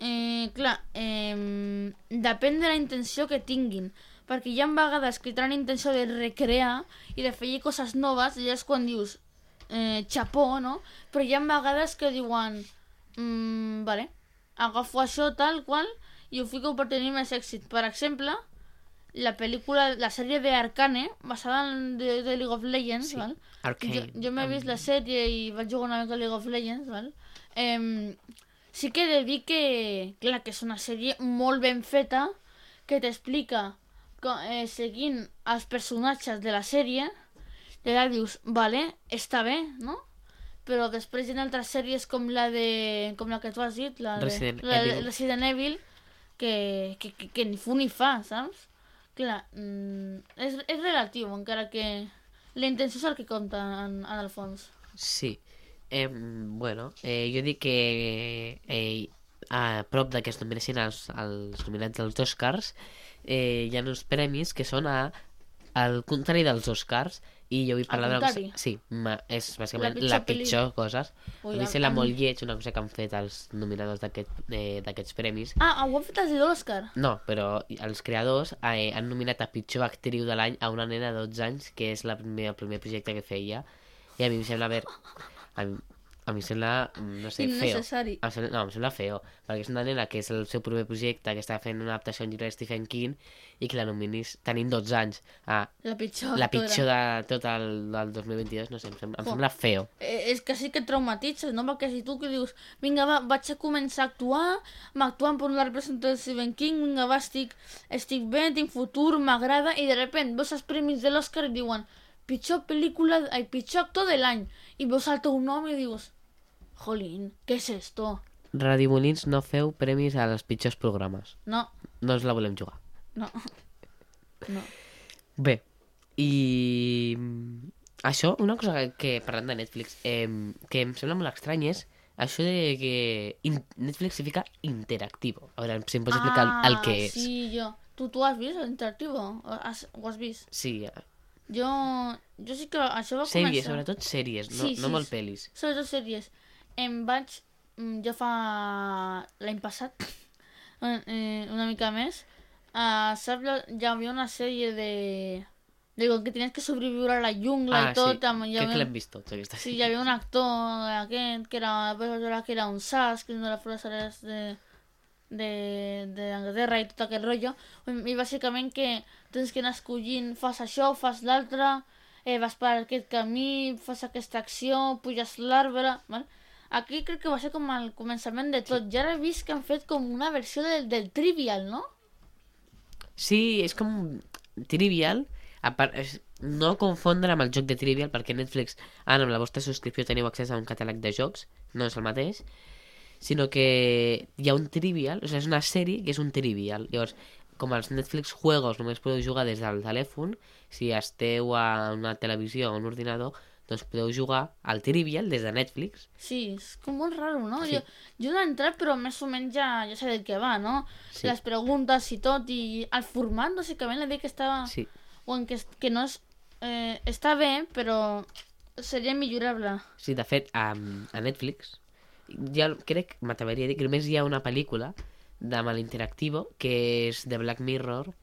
Eh, clar, eh, depèn de la intenció que tinguin, perquè hi ha vegades que tenen intenció de recrear i de fer coses noves, i ja és quan dius eh, xapó, no? Però hi ha vegades que diuen mm, vale, agafo això tal qual i ho fico per tenir més èxit. Per exemple, la pel·lícula, la sèrie de Arcane, basada en de, de League of Legends, Sí, val? Arcane. Jo, jo m'he vist la sèrie i vaig jugar una mica a League of Legends, val? Eh, sí que he de dir que, clar, que és una sèrie molt ben feta, que t'explica, co- eh, seguint els personatges de la sèrie, i allà dius, vale, està bé, no? Però després hi ha altres sèries com la de... com la que tu has dit, la de Resident la de Evil. Resident Evil, que, que, que, que ni fu ni fa, saps? Clar, mm, és, és relatiu, encara que la intenció és el que compta en, en el fons. Sí. Eh, bueno, eh, jo dic que eh, a prop de que es nomenessin els, els nominats dels Oscars, eh, hi ha uns premis que són a, al contrari dels Oscars, i jo vull parlar de... contrari? Sí, ma, és bàsicament La pitjor la pel·li- pitjor cosa. Ui, A mi a- sembla a mi- molt lleig una cosa que han fet els nominadors d'aquest, eh, d'aquests premis. Ah, ho han fet els de l'Òscar? No, però els creadors eh, han nominat a pitjor actriu de l'any a una nena de dotze anys, que és la primer, el primer projecte que feia, i a mi em sembla... A veure, a mi, A mi em sembla, no sé, feo. Innecessari. Em sembla, no, em sembla feo, perquè és una nena que és el seu primer projecte, que està fent una adaptació a un llibre de Stephen King i que la nominis tenint dotze anys a La pitjor. la actora. pitjor de tot el del dos mil vint-i-dos, no sé, em sembla, em Jo. sembla feo. Eh, és que sí que et traumatitzes, no? Perquè si tu que dius, vinga, va, vaig a començar a actuar, m'actuant per la representació de Stephen King, vinga, va, estic, estic bé, tinc futur, m'agrada, i de repente veus els premis de l'Oscar i diuen pitjor pel·lícula, ai, pitjor actor de l'any, i veus el teu nom i dius, jolín, què és esto? Radio Molins, no feu premis als pitjors programes. No, No ens la volem jugar. no, no. Bé, i mm, això, una cosa que, que parlant de Netflix, eh, que em sembla molt estrany és això de que in Netflix se fica interactivo. A veure, si em pots explicar el, el que és. Sí, jo. Tu, tu has vist l'interactivo? Has, ho has vist? Sí, eh, Jo, jo sí que això va sèries, començar... sobretot sèries, no, Sí, no sí, molt sí. pel·lis. Sobretot sèries. Em vaig... mm, Jo fa... l'any passat, eh, una mica més, uh, saps? la- Hi havia una sèrie de... de com que tenies que sobreviure a la jungla Ah, i tot. sí, Amb, hi crec que havia... l'hem vist tots, aquesta Sí, hi havia un actor aquest que era, que era un sas, que és una de les foresteres de, de, de Anglaterra i tot aquest rotllo. I bàsicament que tens que anar escollint, fas això, fas l'altre, eh, vas per aquest camí, fas aquesta acció, puges l'arbre, val? Aquí crec que va ser com el començament de tot. Ja he vist que han fet com una versió del, del Trivial, no? Sí, és com Trivial, a part, és, no confondre amb el joc de Trivial, perquè Netflix, ara amb la vostra subscripció teniu accés a un catàleg de jocs, no és el mateix, sinó que hi ha un Trivial, o sigui, és una sèrie que és un Trivial. Llavors, com els Netflix juegos només podeu jugar des del telèfon, si esteu a una televisió o a un ordinador, doncs podeu jugar al Trivial des de Netflix. Sí, és com molt raro, no? Sí. Jo, jo no he entrat, però més o menys ja, ja sé del que va, no? Sí. Les preguntes i tot, i el format, bàsicament, l'he dit que estava... Sí. O en que, que no és... Eh, està bé, però seria millorable. Sí, de fet, a, a Netflix, ja crec, m'atreviria a dir que només hi ha una pel·lícula de amb l'interactivo, que és de Black Mirror,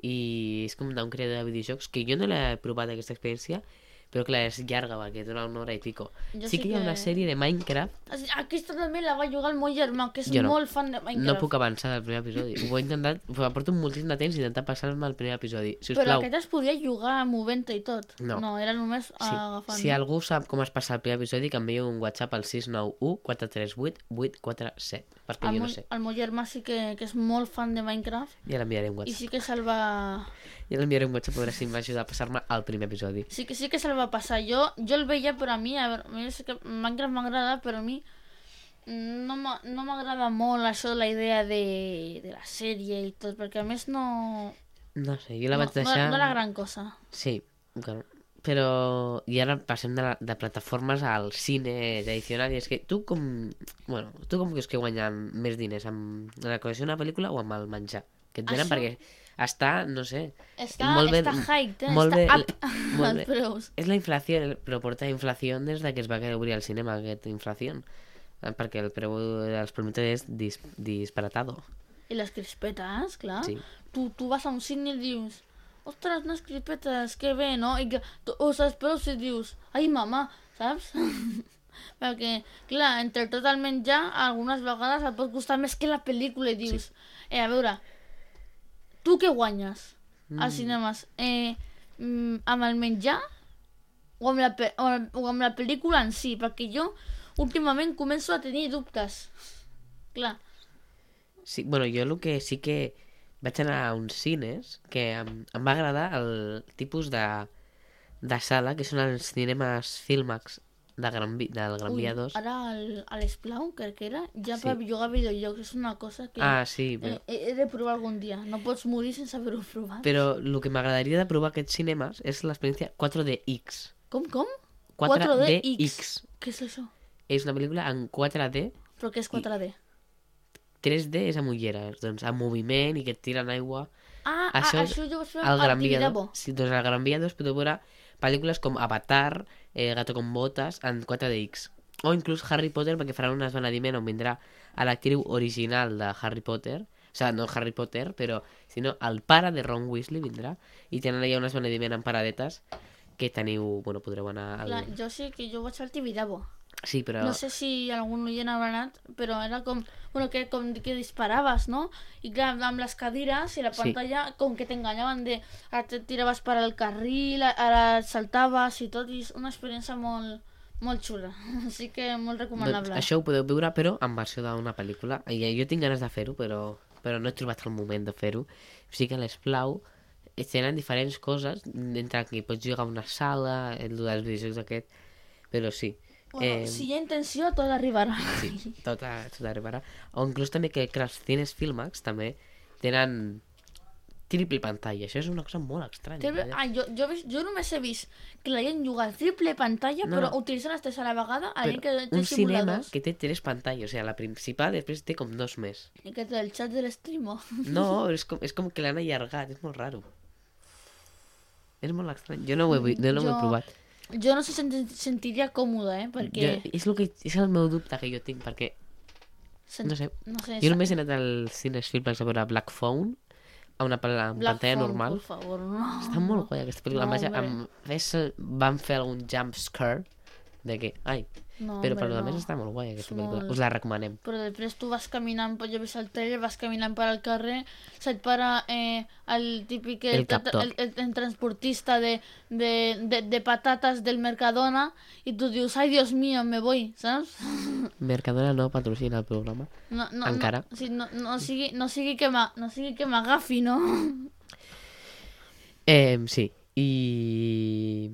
i és com d'un creador de videojocs, que jo no l'he provat aquesta experiència, però clar, és llarga, perquè dura una hora i pico. Jo Sí sí que hi ha que- una sèrie de Minecraft, Aquesta també la va jugar el meu germà, que és Jo no. molt fan de Minecraft. no puc avançar del primer episodi. Ho he intentat, ho porto moltíssim de temps intentant passar-me al primer episodi. Si us Però plau, aquest es podia jugar movent-te i tot. No. No, era només si, agafant. si algú sap com es passa el primer episodi, que enviï un WhatsApp al sis nou u quatre tres vuit vuit quatre set, perquè el, jo meu, no sé. el meu germà sí que, que és molt fan de Minecraft Ja l'enviaré un i WhatsApp. sí que se'l va... Ja l'enviaré un WhatsApp a veure si em va ajudar a passar-me al primer episodi. Sí que sí que se'l va passar. Jo, jo el veia, però a mi, a veure, a mi sí que Minecraft m'agrada, però a mi no m'a- no m'agrada molt això de la idea de, de la sèrie i tot, perquè a més no... No sé, jo la no, vaig deixar... no, no era gran cosa. Sí, claro. Però... I ara passem de, la, de plataformes al cine tradicional, i és que tu com... Bueno, tu com creus que guanyen més diners? Amb la col·lecció d'una pel·lícula o amb el menjar? Que et venen Això- perquè està, no sé... Està, molt bé- està hyped, eh? molt està bé- up molt els bé. preus. És la inflació, però porta inflació des de que es va quedar obrir al cinema, aquesta inflació. Eh, Perquè el preu dels productes és dis, disparatado. I les crispetes, clar. Sí. Tu, tu vas a un cine i dius, ostres, unes crispetes, que bé, no? I que tu us esperes i dius, ai, mama, saps? Perquè, clar, entre tot el menjar, algunes vegades et pot costar més que la pel·lícula i dius, eh, a veure, tu què guanyes als cinemes? Eh, mm, amb el menjar o amb, la, pe- o amb o amb la pel·lícula en si? Perquè jo últimament començo a tenir dubtes. Clar. Sí, bueno, jo el que sí que vaig anar a uns cines que em, em va agradar el tipus de, de sala, que són els cinemes Filmax de Gran, Vi- del Gran Via dos. Ara el- a l'Esplau, crec que era, ja Sí. per jugar a videojocs. És una cosa que Ah, sí, eh, però, he, he de provar algun dia. No pots morir sense haver-ho provat. però el que m'agradaria de provar aquests cinemes és l'experiència quatre D X. Com, com? quatre D X. X. Què és això? És una pel·lícula en quatre D, Però què és quatre D? tres D és amb ulleres, doncs amb moviment i que et tiren aigua. Ah, Això ah, és això jo ho vaig fer Al al Gran Via Tibidabo. dos. Sí, doncs al Gran Via dos podeu veure pel·lícules com Avatar, eh, Gato con botas, en quatre D X. O inclús Harry Potter, perquè faran un esbenediment on vindrà a l'actriu original de Harry Potter, o sigui, no Harry Potter, però sinó el pare de Ron Weasley vindrà, i tenen allà un esbenediment en paradetes que teniu, bueno, podreu anar al... Clar, jo sí que jo vaig al Tibidabo. Sí, però... No sé si algun oient haurà anat, però era com, bueno, que, com que disparaves, no? I clar, amb les cadires i la Sí. pantalla, com que t'enganyaven de... Ara te tiraves per al carril, ara et saltaves i tot, i és una experiència molt, molt xula. Així que molt recomanable. Doncs això ho podeu veure, però en versió d'una pel·lícula. I jo tinc ganes de fer-ho, però, però no he trobat el moment de fer-ho. O sigui que l'Esplau tenen diferents coses, entre que pots jugar a una sala, el dels videojocs aquest, però sí. Bueno, Eh, si hi ha intenció, tot arribarà. Sí, tot, a, tot arribarà. O inclús també que, que els cines Filmax també tenen triple pantalla. Això és una cosa molt estranya. Triple... Ah, jo, jo, he vist- jo només he vist que la gent juga a triple pantalla, No. però utilitzen les tres a la vegada, a la gent que Però té un cinema simuladors. que té tres pantalles, o sigui, la principal després té com dos més. I que té el xat de l'estreamo. No, és com, és com que l'han allargat, és molt raro. És molt estrany. Jo no ho he, vi- jo no ho he Jo- provat. Jo no se sent sentiria còmode, eh? Perquè... Jo, és, el que, és el meu dubte que jo tinc, perquè, Sent... no sé, No sé, jo només he anat als cines Filmax a veure Black Phone, a una pel- a Black pantalla Phone, normal. Por favor, no. Està molt guai aquesta pel·lícula. No, No, Vaja, hombre. amb, ves, van fer algun jump scare de que, ai, No, però hombre, per lo no. més està molt guai aquesta És pel·lícula. molt- Us la recomanem. Però després tu vas caminant, jo he vist el trailer, vas caminant per al carrer, se't para eh, el típic... El captor. el, el, el transportista de, de, de, de patates del Mercadona i tu dius, ai, Dios mío, me voy, saps? Mercadona no patrocina el programa. No, no, Encara. No, sí, no, no, sigui, no sigui que m'a- no sigui que m'agafi, no? Eh, sí, i...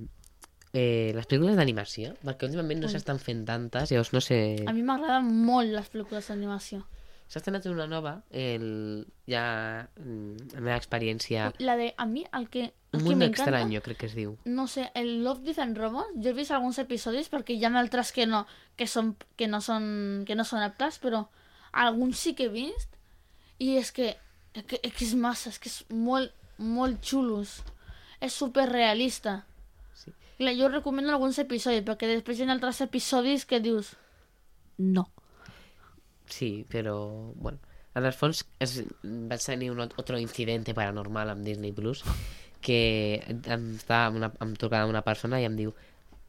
Eh, les pel·lícules d'animació, perquè últimament no s'estan fent tantes, llavors no sé... A mi m'agraden molt les pel·lícules d'animació. S'ha estrenat una nova, el... ja mm, la meva experiència... La de, a mi, el que, el Un que mundo m'encanta... extraño, crec que es diu. No sé, el Love, Death and Robots, jo he vist alguns episodis perquè hi ha altres que no, que són, que no són, que no són aptes, però alguns sí que he vist i és que, és que, és que és massa, és que és molt, molt xulos. És superrealista. Sí. Clar, jo recomano alguns episodis perquè després hi ha altres episodis que dius no. Sí, però, bueno, en el fons es, vaig tenir un otro incidente paranormal amb Disney Plus que em, estava amb una, em trucava una persona i em diu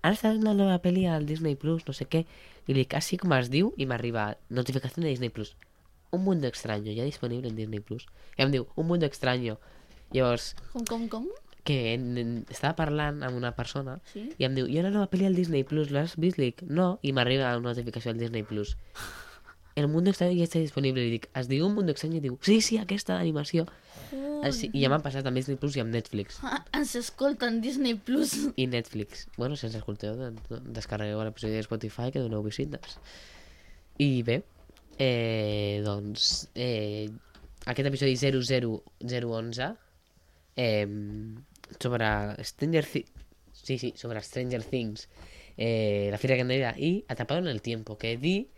ara està una nova pel·li al Disney Plus, no sé què, i li dic, així com es diu, i m'arriba notificació de Disney Plus, Un Mundo Extraño, ja disponible en Disney Plus, i em diu, Un Mundo Extraño, llavors, Com, com, com? que en, en, estava parlant amb una persona Sí? i em diu, hi ha una nova pel·li al Disney Plus, l'has vist? Li dic, no, i m'arriba una notificació al Disney Plus. El Mundo Extraño ja està disponible, li dic, es diu Un Mundo Extraño? I diu, sí, sí, aquesta d'animació. Així, I ja m'han passat amb Disney Plus i amb Netflix. Ah, ens escolten Disney Plus. I Netflix. Bueno, si ens escolteu, doncs descarregueu l'episodi de Spotify que doneu visites. I bé, eh, doncs, eh, aquest episodi zero zero zero onze eh, sobre Stranger Things, sí, sí, sobre Stranger Things, eh, la Fira Candelera i Atrapado en el Tiempo, que di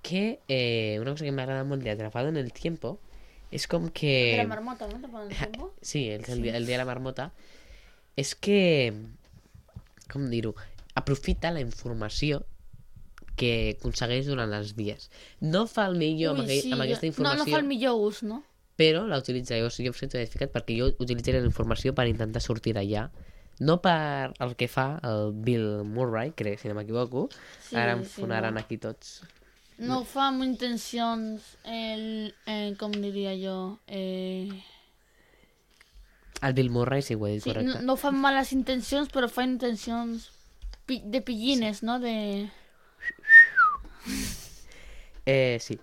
que eh, una cosa que m'agrada molt de Atrapado en el Tiempo és com que... De la marmota, no? Te ponen el tiempo. Sí, el, el, el dia de la marmota. És que, com dir-ho, aprofita la informació que aconsegueix durant els dies. No fa el millor amb, aquell, amb aquesta informació, No, no fa el millor ús, no? però la utilitza. Jo, jo em sento identificat perquè jo utilitzaré la informació per intentar sortir d'allà. No per el que fa el Bill Murray, crec, si no m'equivoco. Sí, Ara em sí, fonaran no. aquí tots. No ho fa amb intencions, el, eh, com diria jo, eh... El Bill Murray sí ho he dit, sí, no, correcte. no fa males intencions, però fa intencions pi de pillines, no? De... Eh, sí.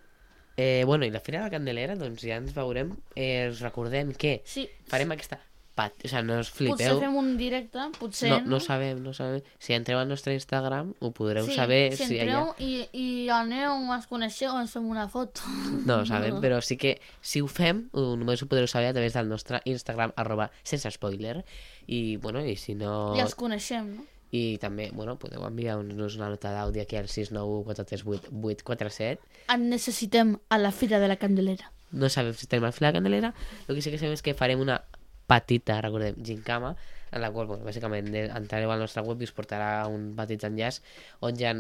Eh, bueno, i la Fira de la Candelera, doncs ja ens veurem. Eh, us recordem que Sí, farem aquesta... Pat... O sigui, no us potser flipeu. fem un directe, potser, No, no sabem, no sabem. Si entreu al nostre Instagram ho podreu sí, saber. si si entreu allà... i, i aneu, ens coneixeu, ens fem una foto. No ho sabem, però sí que si ho fem, ho, només ho podreu saber a través del nostre Instagram, arroba sense spoiler. I, bueno, i si no... I els coneixem, no? I també, bueno, podeu enviar-nos una nota d'àudio aquí al sis nou u quatre tres vuit vuit quatre set. En necessitem a la Fira de la Candelera. No sabem si estem al Fira de la Candelera. El que sí que sabem és que farem una petita, recordem, gincama, en la qual, bueno, bàsicament, entrareu al nostre web i us portarà un petit enllaç on hi ha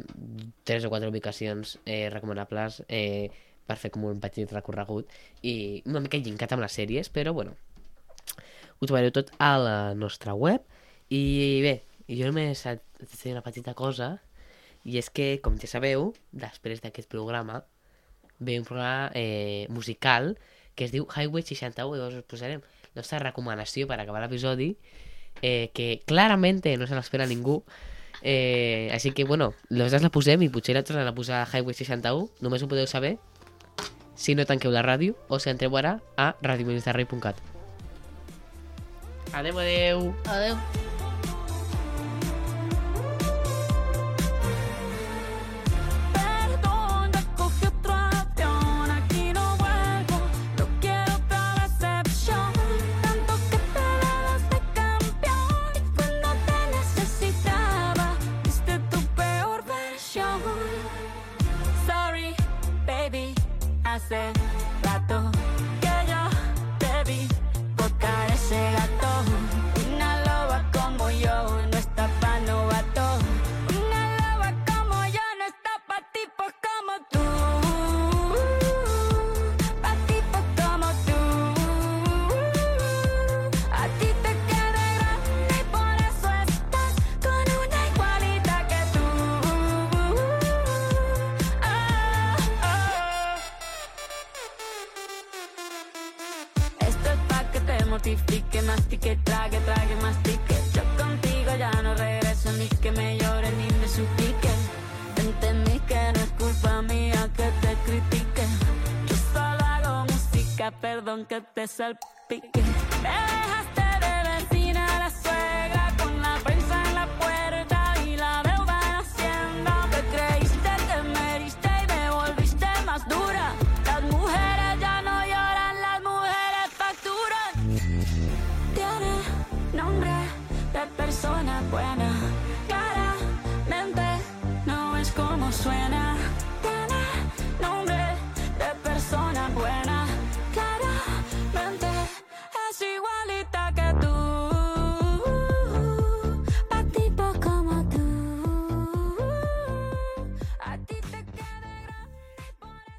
tres o quatre ubicacions eh, recomanables eh, per fer com un petit recorregut i una mica gincat amb les sèries, però, bueno, ho trobareu tot a la nostra web. I bé, jo només et diré una petita cosa, I és que, com ja sabeu, després d'aquest programa ve un programa eh, musical que es diu Highway seixanta u, i llavors us posarem la nostra recomanació per acabar l'episodi, eh, que clarament no se l'espera ningú. Eh, així que, bueno, nosaltres la posem i potser la tornen a posar Highway seixanta u. Només ho podeu saber si no tanqueu la ràdio o si entreu ara a radio ministarrei punt cat. Adeu, adeu. Adeu. Hace rato que yo te vi botar ese gato. Una loba como yo no está pa' novato. Una loba como yo no está pa' tipos como tú. Pa' tipos como tú. A ti te queda grande y por eso estás con una igualita que tú. Ah, ah. Esto es pa' que te mortifique, mastique, trague, trague, mastique. Yo contigo ya no regreso, ni que me llore ni me suplique. Entendí que no es culpa mía que te critique. Yo solo hago música, perdón que te salpique. Me dejaste de vecina la suegra con la prensa en la puerta y la deuda en Hacienda. Te creíste que me heriste y me volviste más dura. Las mujeres ya no lloran, las mujeres facturan. Tiene nombre de persona buena.